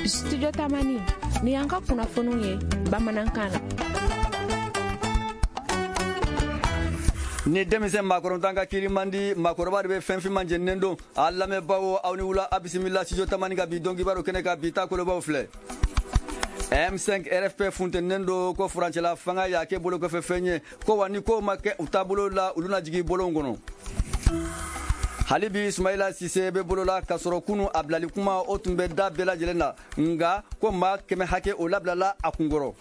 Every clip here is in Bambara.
Studio Tamani, ni y'an ka kunnafoniw ye bamanankan na. Ni denmisɛn maakɔrɔntan ka kiiri man di, maakɔrɔba de bɛ fɛn finman jeninen don. A lamɛnbaaw, aw ni wula, a bisimila Studio Tamani ka bi don kibaru kɛnɛ kan. Bi ta kolobaw filɛ. M5 RFP funteninen don ko furancɛla fanga y'a kɛ bolokɔfɛ fɛn ye, ko wa ni ko ma kɛ u taabolo la, olu na jigin bolon kɔnɔ. Hali bi Sumayila Sise bɛ bolo la, k'a sɔrɔ kunu a bilali kuma o tun bɛ da bɛɛ lajɛlen na, nka ko maa 100 hakɛ o labilala a kunkɔrɔ.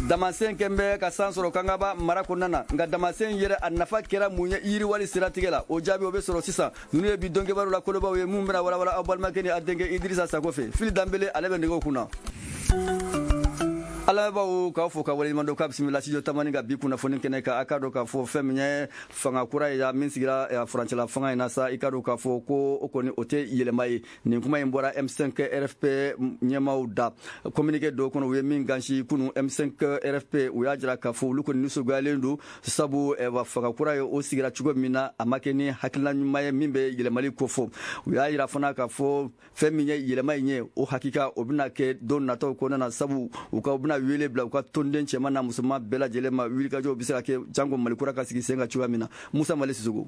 Damasen kɛn bɛ ka san sɔrɔ Kangaba mara kɔnɔna na, nka damasen yɛrɛ a nafa kɛra mun ye yiriwali siratigɛ la? O jaabi o bɛ sɔrɔ sisan. Ninnu ye bi donkibaru la kolobaw ye mun bɛna walawala aw balimakɛ ni a denkɛ Idirisa Sako fɛ. Fili Danbele, ale bɛ nɛgɛw kunna. Alamɛnbaaw, k'aw fo ka waleɲuman dɔn, k'a bisimila Studio Tamani ka bi kunnafoni kɛnɛ kan. A k'a dɔn k'a fɔ fɛn min ye fanga kura ye min sigira furancɛla fanga in na sa, i k'a dɔn k'a fɔ ko o kɔni o tɛ yɛlɛma ye. Nin kuma in bɔra M5 RFP ɲɛmaaw da communiqué dɔw kɔnɔ, u ye min gansi kunu. M5 RFP, u y'a jira k'a fɔ olu kɔni nisɔngoyalen don, sabu fanga kura ye o sigira cogo min na, a ma kɛ ni hakilina ɲuman ye min bɛ yɛlɛmali kofɔ. U y'a jira fana k'a fɔ fɛn min ye yɛlɛma in ye, o hakika o bɛna kɛ don nataw kɔnɔna na, sabu u ka u bɛna wele bila u ka tɔnden cɛman n'a musoman bɛɛ lajɛlen ma, wulikajɔw bɛ se ka kɛ janko Mali kura ka sigi sen kan cogoya min na. Musa Mali Sisoko.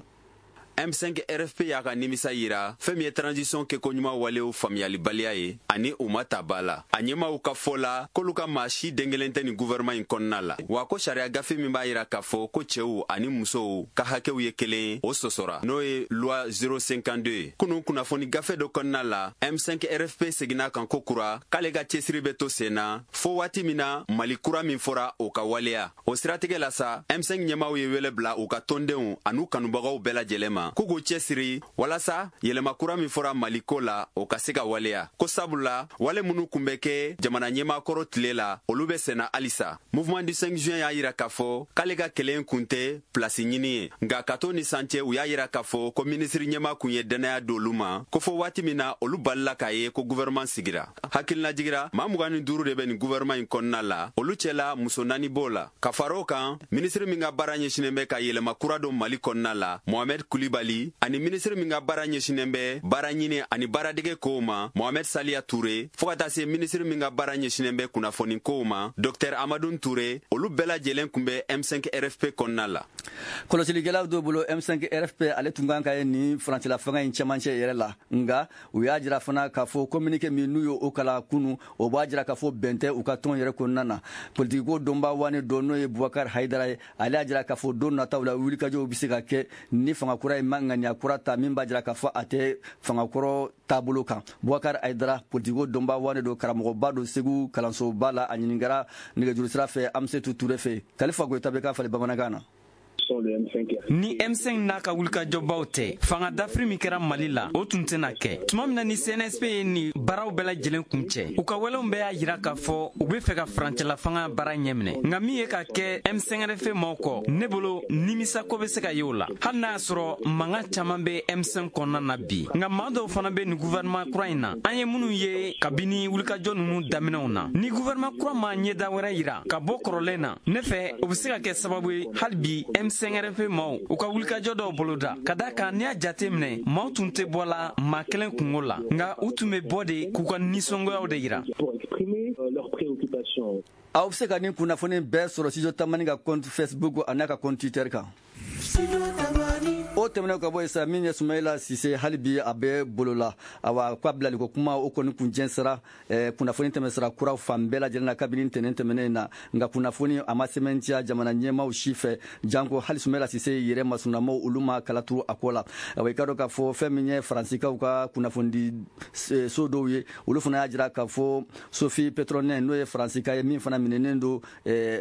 M5 RFP y'a ka nimisa yira fɛn min ye transition kɛko ɲuman walew faamuyalibaliya ye ani u ma ta ba la. A ɲɛmaw ka fɔ la k'olu ka maa si den kelen tɛ nin gouvernement in kɔnɔna la, wa ko sariya gafe min b'a yira k'a fɔ ko cɛw ani musow ka hakɛw ye kelen ye, o sɔsɔra, n'o ye loi 052 ye. Kunun kunnafoni gafe dɔ kɔnɔna la, M5 RFP seginna kan ko kura k'ale ka cɛsiri bɛ to sen na fo waati min na Mali kura min fɔra, o ka waleya. O siratigɛ la sa, M5 ɲɛmaw ye wele bila u ka tɔndenw an'u kanubagaw bɛɛ lajɛlen ma k'u k'u cɛsiri walasa yɛlɛma kura min fɔra Maliko la, o ka se ka waleya, ko sabula wale minnu kun bɛ kɛ jamana ɲɛmaakɔrɔ tile la, olu bɛ senna halisa. Mouvement du 5 juin y'a yira k'a fɔ k'ale ka kɛlɛ kun tɛ pilasi ɲini ye, nka ka to ni san cɛ, u y'a yira k'a fɔ ko minisiri ɲɛma kun ye dannaya d'olu ma, ko fo waati min na olu balila k'a ye ko gouvernement sigira. Hakilina jigira, maa 25 de bɛ nin gouvernement in kɔnɔna la, olu cɛla muso 4 b'o la. Ka fara o kan, minisiri min ka baara ɲɛsinen bɛ ka yɛlɛma kura don Mali kɔnɔna la, Mohamed Kulibali, ani minisiri min ka baara ɲɛsinen bɛ baara ɲini ani baaradege kow ma, Mohamed Saliya Ture, fɔɔ ka taa se minisiri min ka baara ɲɛsinen bɛ kunnafoni kow ma, Dr Amadou Ture, olu bɛɛ lajɛlen kun bɛ M5 RFP kɔnɔna la. Kɔlɔsilikɛlaw dɔw bolo, M5 RFP ale tun kan ka ye nin furancɛla fanga in cɛmancɛ yɛrɛ la, nka u y'a jira fana k'a fɔ communiqué min n'u ye o kalan kunu, o b'a jira k'a fɔ bɛn tɛ u ka tɔn yɛrɛ kɔnɔna na. Politikiko dɔnbaa wani dɔ, n'o ye Bubakar Hayidara ye, ale y'a jira k'a fɔ don nataw la wulikajɔw bɛ se ka kɛ ni fanga kura in ma ŋaniya kura ta min b'a jira k'a fɔ a tɛ fanga kɔrɔ taabolo kan. Bubakar Hayidara, politikiko dɔnbaa wani don, karamɔgɔba don Segu kalansoba la, a ɲininkara nɛgɛjuru sira fɛ Amsetu Ture fɛ. Kalifa Goyita bɛ k'a falen bamanankan na. Ni M5 n'a ka wulikajɔbaw tɛ, fanga dafiri min kɛra Mali la, o tun tɛna kɛ. Tuma min na ni CNSP ye nin baaraw bɛɛ lajɛlen kun cɛ, u ka walew bɛɛ y'a yira k'a fɔ u bɛ fɛ ka furancɛla fanga baara ɲɛminɛ. Nka min ye ka kɛ M5 RFP maaw kɔ, ne bolo nimisako bɛ se ka ye o la, hali n'a y'a sɔrɔ mankan caman bɛ M5 kɔnɔna na bi. Nka maa dɔw fana bɛ nin gouvernement kura in na, an ye minnu ye kabini wulikajɔ ninnu daminɛw na. Ni gouvernement kura ma ɲɛda wɛrɛ yira ka bɔ kɔrɔlen na, ne fɛ o bɛ se ka kɛ sababu ye hali bi M5 RFP maaw u ka wulikajɔ dɔw boloda, ka da kan n'i y'a jate minɛ, maaw tun tɛ bɔ la maa kelen kungo la, nka u tun bɛ bɔ de k'u ka nisɔngoyaw de yira. Aw bɛ se ka nin kunnafoni bɛɛ sɔrɔ Studio Tamani ka compte Facebook a n'a ka compte Twitter kan. O tɛmɛnen ka bɔ yen sa, min ye Sumayila Sise, hali bi a bɛ bolo la. Awa, k'a bilaliko kuma o kɔni kun jɛnsɛra kunnafoni tɛmɛsira kuraw fan bɛɛ lajɛlen na kabini ntɛnɛn tɛmɛnen na, nka kunnafoni a ma sɛmɛntiya jamana ɲɛmaaw si fɛ, janko hali Sumayila Sise yɛrɛ masunamaw, olu ma kala turu a ko la. Awa, i ka dɔn k'a fɔ fɛn min ye Faransikaw ka kunnafonidi so dɔw ye, olu fana y'a jira k'a fɔ Sophie Pétronin, n'o ye Faransika ye min fana minɛnen don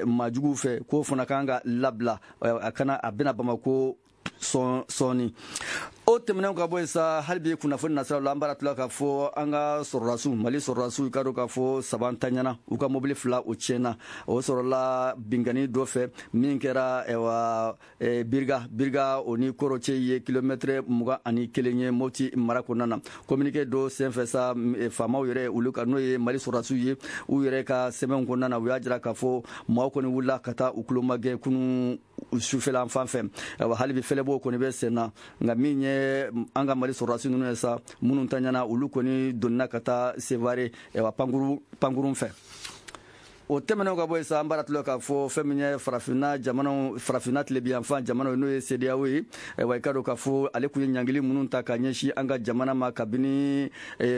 maajuguw fɛ, k'o fana kan ka labila, a kana a bɛna Bamako sɔɔni. O tɛmɛnen ka bɔ yen sa, hali bi kunnafoni nasiraw la, an b'a tila k'a fɔ an ka sɔrɔdasiw, Mali sɔrɔdasiw, i ka dɔn k'a fɔ saba tanyana, u ka mobili fila o tiɲɛna. O sɔrɔla binkanni dɔ fɛ min kɛra ɛwa Biriga o ni Koro cɛ ye kilomɛtɛrɛ 21 ye Moti mara kɔnɔna na. Communiqué dɔ senfɛ sa, faamaw yɛrɛ olu ka, n'o ye Mali sɔrɔdasiw ye, u yɛrɛ ka sɛbɛnw kɔnɔna na, u y'a jira k'a fɔ maaw kɔni wulila ka taa u tulomagɛn kunun sufɛla fan fɛ. Ayiwa, hali bi fɛlɛbɔw kɔni bɛ sen na, nka min ye ye an ka Mali sɔrɔdasi ninnu ye sa, minnu taɲana, olu kɔni donna ka taa Sevare pankurun fɛ. O tɛmɛnen ka bɔ yen sa, an b'a tulon k'a fɔ fɛn min ye farafinna jamanaw, farafinna tilebiyanfan jamanaw, n'o ye CEDEAO ye. Ayiwa, i ka dɔn k'a fɔ ale tun ye ɲangili minnu ta ka ɲɛsin an ka jamana ma kabini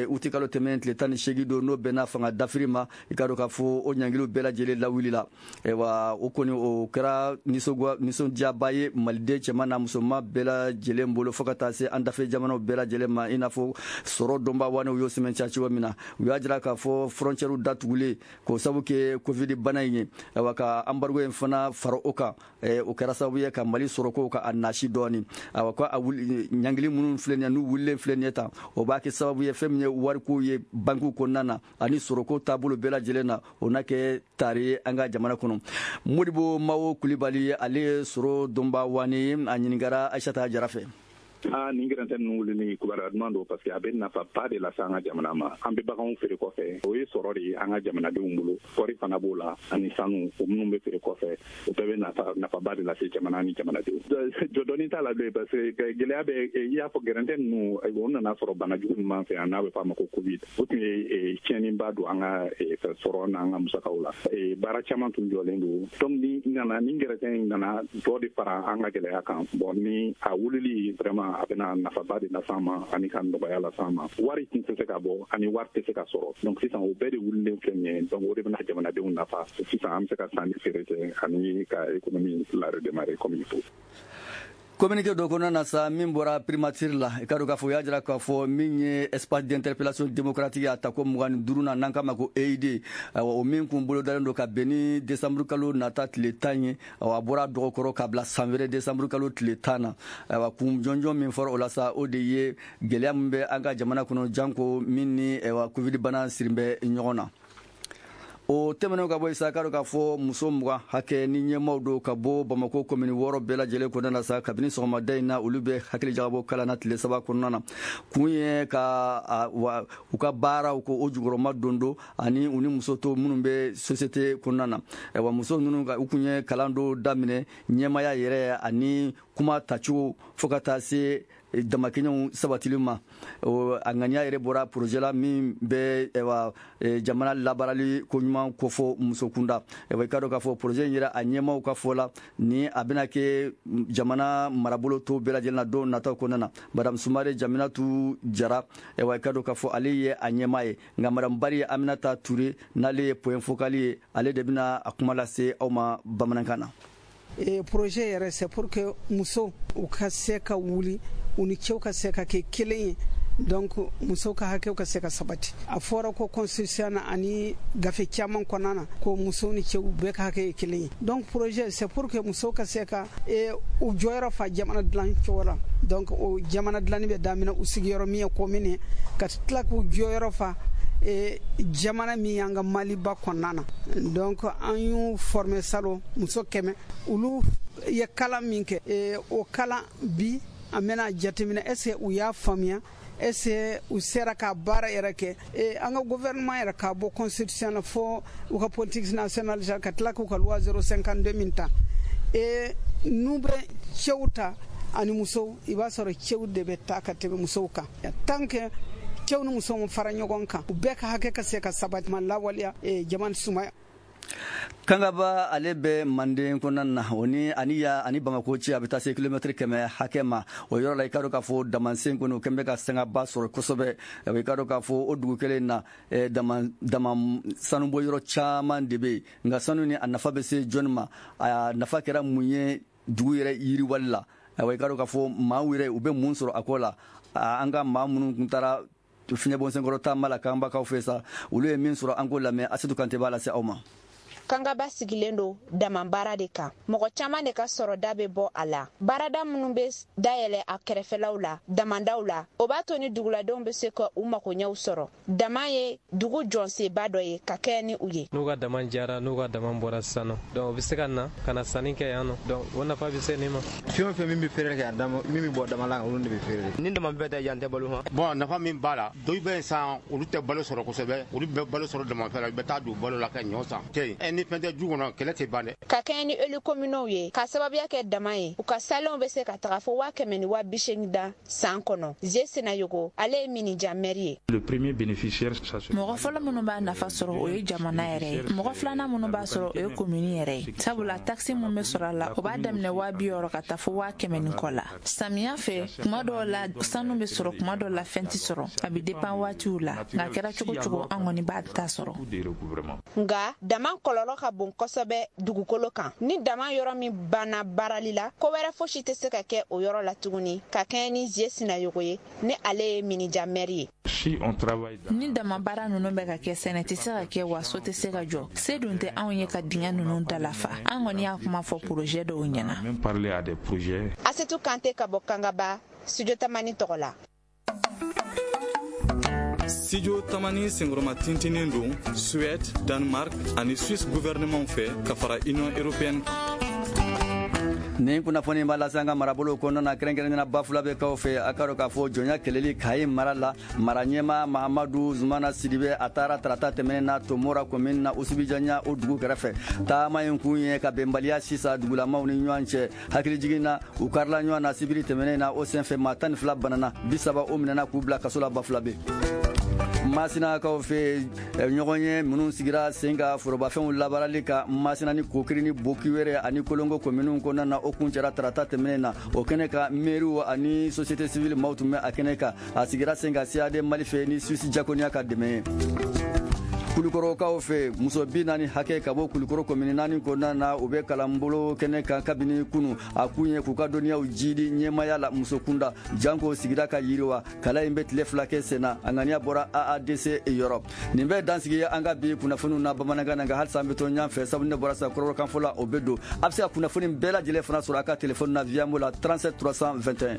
uti kalo tɛmɛnen tile 18 don, n'o bɛnna fanga dafiri ma, i ka dɔn k'a fɔ o ɲangiliw bɛɛ lajɛlen lawulila. Ayiwa, o kɔni o kɛra nisɔndiyaba ye maliden cɛman n'a musoman bɛɛ lajɛlen bolo, fo ka taa se an dafɛ jamanaw bɛɛ lajɛlen ma. I n'a fɔ sɔrɔ dɔnba wanew y'o sɛmɛntiya cogo min na, u y'a jira k'a fɔ frontière datugulen k'o sabu kɛ Covid bana in ye, ayiwa, ka embargo in fana fara o kan, o kɛra sababu ye ka Mali sɔrɔko ka a nasi dɔɔni. Ayiwa, ko a ɲangili minnu filɛ nin ye, n'u wulilen filɛ nin ye tan, o b'a kɛ sababu ye fɛn min ye wariko ye bankiw kɔnɔna na ani sɔrɔko taabolo bɛɛ lajɛlen na, o n'a kɛ tari ye an ka jamana kɔnɔ. Modibo Mawo Kulibali, ale ye sɔrɔ dɔnba wani ye, a ɲininkara Ayisata Jara fɛ. Aa, nin gɛrɛntɛ ninnu wulili, kibaruya duman don, parce que a bɛ nafaba de lase an ka jamana ma. An bɛ baganw feere kɔfɛ, o ye sɔrɔ de ye an ka jamanadenw bolo. Kɔɔri fana b'o la ani sanu, o minnu bɛ feere kɔfɛ, o bɛɛ bɛ nafa nafaba de lase jamana ni jamanadenw. Jɔdɔnni t'a la bilen, parce que gɛlɛya bɛ i y'a fɔ gɛrɛntɛ ninnu, o nana sɔrɔ bana jugu min b'an fɛ yan, n'a bɛ fɔ a ma ko Covid, o tun ye tiɲɛniba don an ka sɔrɔ n'an ka musakaw la. Baara caman tun jɔlen don. Donc ni nana ni gɛrɛntɛ in nana dɔ de fara an ka gɛlɛya kan. Bon, ni a wulili, vraiment, a bɛna nafaba de las'an ma ani ka nɔgɔya las'an ma. Wari tun tɛ se ka bɔ ani wari tɛ se ka sɔrɔ. Donc sisan, o bɛɛ de wulilen filɛ nin ye. Donc o de bɛna jamanadenw nafa. Sisan an bɛ se ka sanni feere kɛ ani ka économie la redémarrer comme il faut. Communiqué dɔ kɔnɔna na sa, min bɔra primature la, i ka dɔn k'a fɔ u y'a jira k'a fɔ min ye espace d'interpellation démocratique a ta ko 25 na, n'an k'a ma ko EID, ayiwa, o min kun bolodalen don ka bɛn ni décembre kalo nata tile 10 ye, ayiwa, a bɔra dɔgɔkɔrɔ ka bila san wɛrɛ décembre kalo tile 10 na. Ayiwa, kun jɔnjɔn min fɔra o la sa, o de ye gɛlɛya min bɛ an ka jamana kɔnɔ, janko min ni, ayiwa, Covid bana sirin bɛ ɲɔgɔn na. O tɛmɛnen ka bɔ yen sa, k'a dɔn k'a fɔ muso 20 hakɛ ni ɲɛmaaw don ka bɔ Bamako commune 6 bɛɛ lajɛlen kɔnɔna na sa, kabini sɔgɔmada in na, olu bɛ hakili jagabɔ kalan na tile 3 kɔnɔna na. Kun ye ka u ka baaraw ko o jukɔrɔma don don ani u ni muso to minnu bɛ société kɔnɔna na. Ayiwa, muso ninnu u kun ye kalan dɔw daminɛ ɲɛmaaya yɛrɛ ani kuma tacogo, fo ka taa se damakɛɲɛw sabatili ma. A ŋaniya yɛrɛ bɔra projet la min bɛ, ayiwa, jamana labaarali ko ɲuman kofɔ muso kunda. Ayiwa, i ka dɔn k'a fɔ projet in yɛrɛ, a ɲɛmaaw ka fɔ la, ni a bɛna kɛ jamana marabolo tɔw bɛɛ lajɛlen na don nataw kɔnɔna na. Madame Sumare Jaminatu Jara, ayiwa, i ka dɔn k'a fɔ ale ye a ɲɛmaa ye. Nka madame Bari Aminata Ture, n'ale ye point focal ye, ale de bɛna a kuma lase aw ma bamanankan na. Projet yɛrɛ, c'est pour que muso u ka se ka wuli, u ni cɛw ka se ka kɛ kelen ye. Donc musow ka hakɛw ka se ka sabati. A fɔra ko constitution na ani gafe caman kɔnɔna na ko musow ni cɛw bɛɛ ka hakɛ ye kelen ye. Donc projet, c'est pour que musow ka se ka u jɔyɔrɔ fa jamana dilan cogo la. Donc o jamana dilanni bɛ daminɛ u sigiyɔrɔ min ye commune ye, ka tila k'u jɔyɔrɔ fa jamana min y'an ka Maliba kɔnɔna na. Donc an y'u former salon, muso 100, olu ye kalan min kɛ, o kalan bi, an bɛna jateminɛ est ce que u y'a faamuya, est ce que u sera ka baara yɛrɛ kɛ. An ka gouvernement yɛrɛ, ka bɔ constitution na fo u ka politique nationale, ka tila k'u ka loi 052 min ta, n'u bɛ cɛw ta ani musow, i b'a sɔrɔ cɛw de bɛ taa ka tɛmɛ musow kan. Tant que cɛw ni musow fara ɲɔgɔn kan, u bɛɛ ka hakɛ ka se ka sabati ma lawaleya, jamana sumaya. Kangaba, ale bɛ Manden kɔnɔna na, o ni ani ya ani Bamako cɛ, a bɛ taa se kilomɛtiri 100 hakɛ ma. O yɔrɔ la, i ka dɔn k'a fɔ damansen kɔni, o kɛn bɛ ka sangaba sɔrɔ kosɛbɛ. I ka dɔn k'a fɔ o dugu kelen na, dama dama sanubɔ yɔrɔ caman de bɛ yen. Nka sanu ni a nafa bɛ se jɔnni ma? A nafa kɛra mun ye dugu yɛrɛ yiriwali la? Ayiwa, i ka dɔn k'a fɔ maaw yɛrɛ, u bɛ mun sɔrɔ a ko la? An ka maa minnu tun taara fiɲɛbɔnsenkɔrɔ taama la Kanbakaw fɛ sa, olu ye min sɔrɔ, an k'o lamɛn. Asetu Kante b'a lase aw ma. Kangaba sigilen don dama baara de kan. Mɔgɔ caman de ka sɔrɔda bɛ bɔ a la. Baarada minnu bɛ dayɛlɛ a kɛrɛfɛlaw la, damandaw la, o b'a to ni duguladenw bɛ se ka u makoɲɛw sɔrɔ. Dama ye dugu jɔnseba dɔ ye ka kɛ ni u ye. N'u ka dama jara, n'u ka dama bɔra sisan nɔ, donc u bɛ se ka na ka na sanni kɛ yan nɔ. Donc o nafa bɛ se nin ma. Fɛn o fɛn min bɛ feere kɛ, a dama min bɛ bɔ dama la, olu de bɛ feere. Ni dama bɛɛ tɛ yan, tɛ balo hɔn. Bon, nafa min b'a la, dɔw bɛ yen sisan, olu tɛ balo sɔrɔ kosɛbɛ, olu bɛ balo sɔrɔ damafɛn la, u bɛ taa don balo la ka ɲɔ san. Ni fɛn tɛ du kɔnɔ, kɛlɛ tɛ ban dɛ. Ka kɛɲɛ ni élu communaux ye, ka sababuya kɛ dama ye, u ka salenw bɛ se ka taga fo 180 000 dan san kɔnɔ. Ze Senayogo, ale ye Minija mɛri ye. Mɔgɔ fɔlɔ minnu b'a nafa sɔrɔ, o ye jamana yɛrɛ ye. Mɔgɔ filanan minnu b'a sɔrɔ, o ye komini yɛrɛ ye, sabula takisi min bɛ sɔrɔ a la, o b'a daminɛ 60 000 ka taa fo 100 000 ni kɔ la. Samiya fɛ, kuma dɔw la sanu bɛ sɔrɔ, kuma dɔw la fɛn tɛ sɔrɔ, a bɛ dépend waatiw la. Nka a kɛra cogo cogo, an kɔni b'a ta sɔrɔ. Nka dama kɔlɔlɔ ka bon kosɛbɛ dugukolo kan. Ni dama yɔrɔ min banna baarali la, ko wɛrɛ fosi tɛ se ka kɛ o yɔrɔ la tuguni. Ka kɛɲɛ ni Zie Sinayogo ye, ni ale ye Minija mɛri ye. Ni dama baara ninnu bɛ ka kɛ, sɛnɛ tɛ se ka kɛ, wa so tɛ se ka jɔ. Se dun tɛ anw ye ka dingɛ ninnu dalafa. An kɔni y'a kuma fɔ projet dɔw ɲɛna. Asetu Kante ka bɔ Kangaba, Studio Tamani tɔgɔ la. Studio Tamani senkɔrɔma tintinin don Suède, Danemark ani Suisse gouvernement fɛ, ka fara Union européenne kan. Nin kunnafoni b'a lase an ka marabolo kɔnɔna na, kɛrɛnkɛrɛnnenya Bafulabɛkaw fɛ. A ka dɔn k'a fɔ jɔnya kɛlɛli Kayi mara la, mara ɲɛma Mahamadu Zumana Sidibe, a taara tarata tɛmɛnen na Tomora, commune na Usubijanya, o dugu kɛrɛfɛ. Taama in kun ye ka bɛnbaliya sisan dugulamaw ni ɲɔgɔn cɛ. Hakilijigin na, u karila ɲɔgɔn na sibiri tɛmɛnen na. O senfɛ, maa 12 banana, 30 o minɛna k'u bila kaso la Bafulabe. Masinakaw fɛ, ɲɔgɔn ye minnu sigira sen ka forobafɛnw labaarali ka Masina ni Kokiri ni Bokiwɛrɛ ani Kolongo kominiw kɔnɔna na, o kun cɛra tarata tɛmɛnen na. O kɛnɛ kan, mairiw ani société civile maaw tun bɛ a kɛnɛ kan. A sigira sen kan CAD Mali fɛ ni Suisse Diakonia ka dɛmɛ ye. Kulukɔrɔkaw fɛ, muso 40 hakɛ ka bɔ Kulukɔrɔ komini naani kɔnɔna na, u bɛ kalanbolo kɛnɛ kan kabini kunu. A kun ye k'u ka dɔnniyaw jidi ɲɛmaya la muso kunda, janko sigida ka yiriwa. Kalan in bɛ tile 2 kɛ sen na. A ŋaniya bɔra AADC yɔrɔ. Nin bɛ dansigi an ka bi kunnafoniw na bamanankan na. Nka halisa an bɛ to ɲɔgɔn fɛ, sabu ne bɔra sa kɔrɔkan fɔ la, o bɛ don. A bɛ se ka kunnafoni bɛɛ lajɛlen fana sɔrɔ a ka telefɔni na Viamo la, 37 321.